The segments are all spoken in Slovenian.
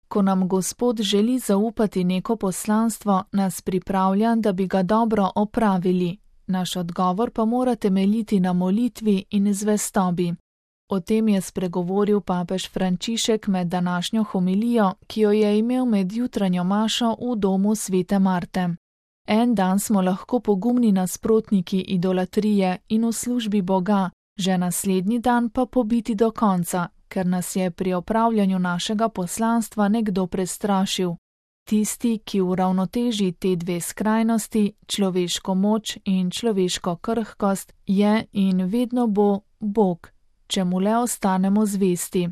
Ko nam Gospod želi zaupati neko poslanstvo, nas pripravlja, da bi ga dobro opravili. Naš odgovor pa mora temeljiti na molitvi in zvestobi. O tem je spregovoril papež Frančišek med današnjo homilijo, ki jo je imel med jutranjo mašo v domu svete Marte. En dan smo lahko pogumni nasprotniki idolatrije in v službi Boga, že naslednji dan pa pobiti do konca, ker nas je pri opravljanju našega poslanstva nekdo prestrašil. Tisti, ki uravnoteži te dve skrajnosti, človeško moč in človeško krhkost, je in vedno bo Bog, če mu le ostanemo zvesti.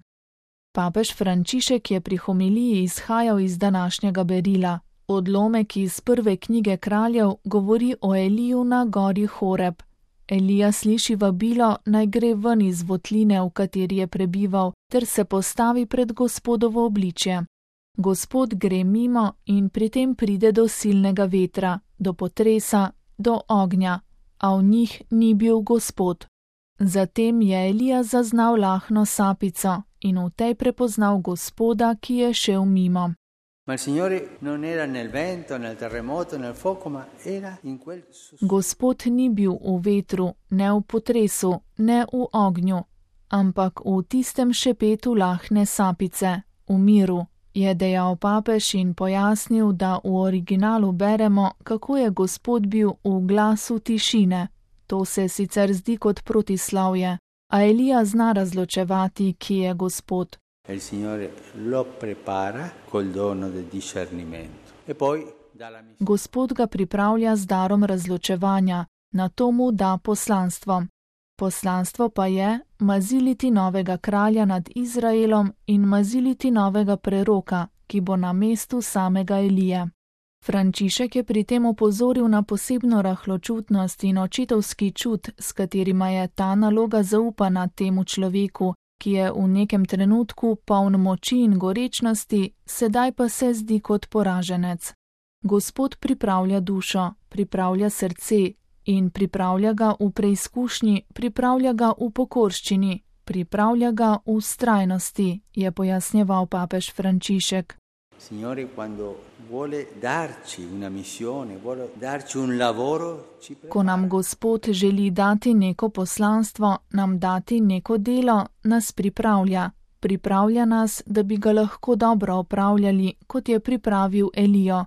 Papež Frančišek je pri homiliji izhajal iz današnjega berila. Odlomek iz prve knjige Kraljev govori o Eliju na gori Horeb. Elija sliši vabilo, naj gre ven iz votline, v kateri je prebival, ter se postavi pred Gospodovo obličje. Gospod gre mimo in pri tem pride do silnega vetra, do potresa, do ognja, a v njih ni bil Gospod. Zatem je Elija zaznal lahno sapico in v tej prepoznal Gospoda, ki je šel mimo. Gospod ni bil v vetru, ne v potresu, ne v ognju, ampak v tistem šepetu lahne sapice, v miru, je dejal papež in pojasnil, da v originalu beremo, kako je Gospod bil v glasu tišine. To se sicer zdi kot protislavje, a Elija zna razločevati, ki je Gospod. Gospod ga pripravlja z darom razločevanja, nato mu da poslanstvo. Poslanstvo pa je maziliti novega kralja nad Izraelom in maziliti novega preroka, ki bo na mestu samega Elije. Frančišek je pri tem opozoril na posebno rahločutnost in očetovski čut, s katerima je ta naloga zaupana temu človeku, ki je v nekem trenutku poln moči in gorečnosti, sedaj pa se zdi kot poraženec. Gospod pripravlja dušo, pripravlja srce in pripravlja ga v preizkušnji, pripravlja ga v pokorščini, pripravlja ga v vztrajnosti, je pojasnjeval papež Frančišek. Signore, quando vuole darci una missione, vuole darci un lavoro, ci prepara. Ko nam Gospod želi dati neko poslanstvo, nam dati neko delo, nas pripravlja. Pripravlja nas, da bi ga lahko dobro opravljali, kot je pripravil Elijo.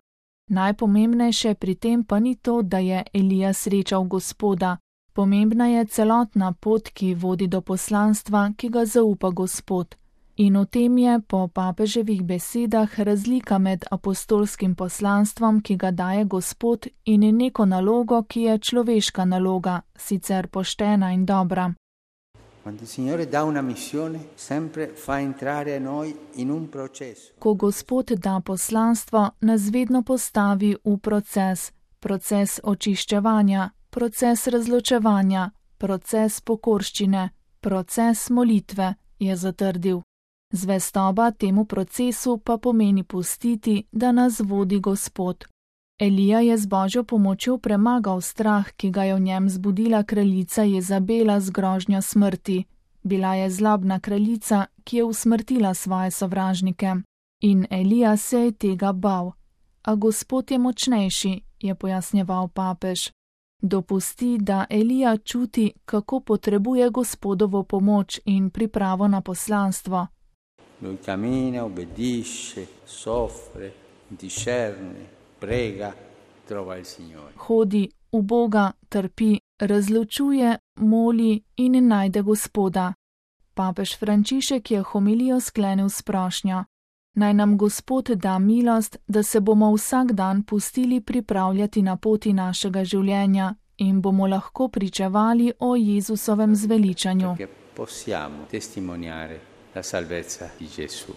Najpomembnejše pri tem pa ni to, da je Elija srečal Gospoda. Pomembna je celotna pot, ki vodi do poslanstva, ki ga zaupa Gospod. In v tem je po papeževih besedah razlika med apostolskim poslanstvom, ki ga daje Gospod, in neko nalogo, ki je človeška naloga, sicer poštena in dobra. Ko Gospod da poslanstvo, nas vedno postavi v proces očiščevanja, proces razločevanja, proces pokorščine, proces molitve, je zatrdil. Zvestoba temu procesu pa pomeni pustiti, da nas vodi Gospod. Elija je z Božjo pomočjo premagal strah, ki ga je v njem zbudila kraljica Jezabela z grožnjo smrti. Bila je zlobna kraljica, ki je usmrtila svoje sovražnike. In Elija se je tega bal. A Gospod je močnejši, je pojasnjeval papež. Dopusti, da Elija čuti, kako potrebuje Gospodovo pomoč in pripravo na poslanstvo. Lui cammina, obbedisce, soffre, discerne, prega, trova il Signore. Hodi, uboga, trpi, razločuje, moli in najde Gospoda. Papež Frančišek je homilijo sklenil s prošnjo. Naj nam Gospod da milost, da se bomo vsak dan pustili pripravljati na poti našega življenja in bomo lahko pričevali o Jezusovem zveličanju. Possiamo testimoniare la salvezza di Gesù.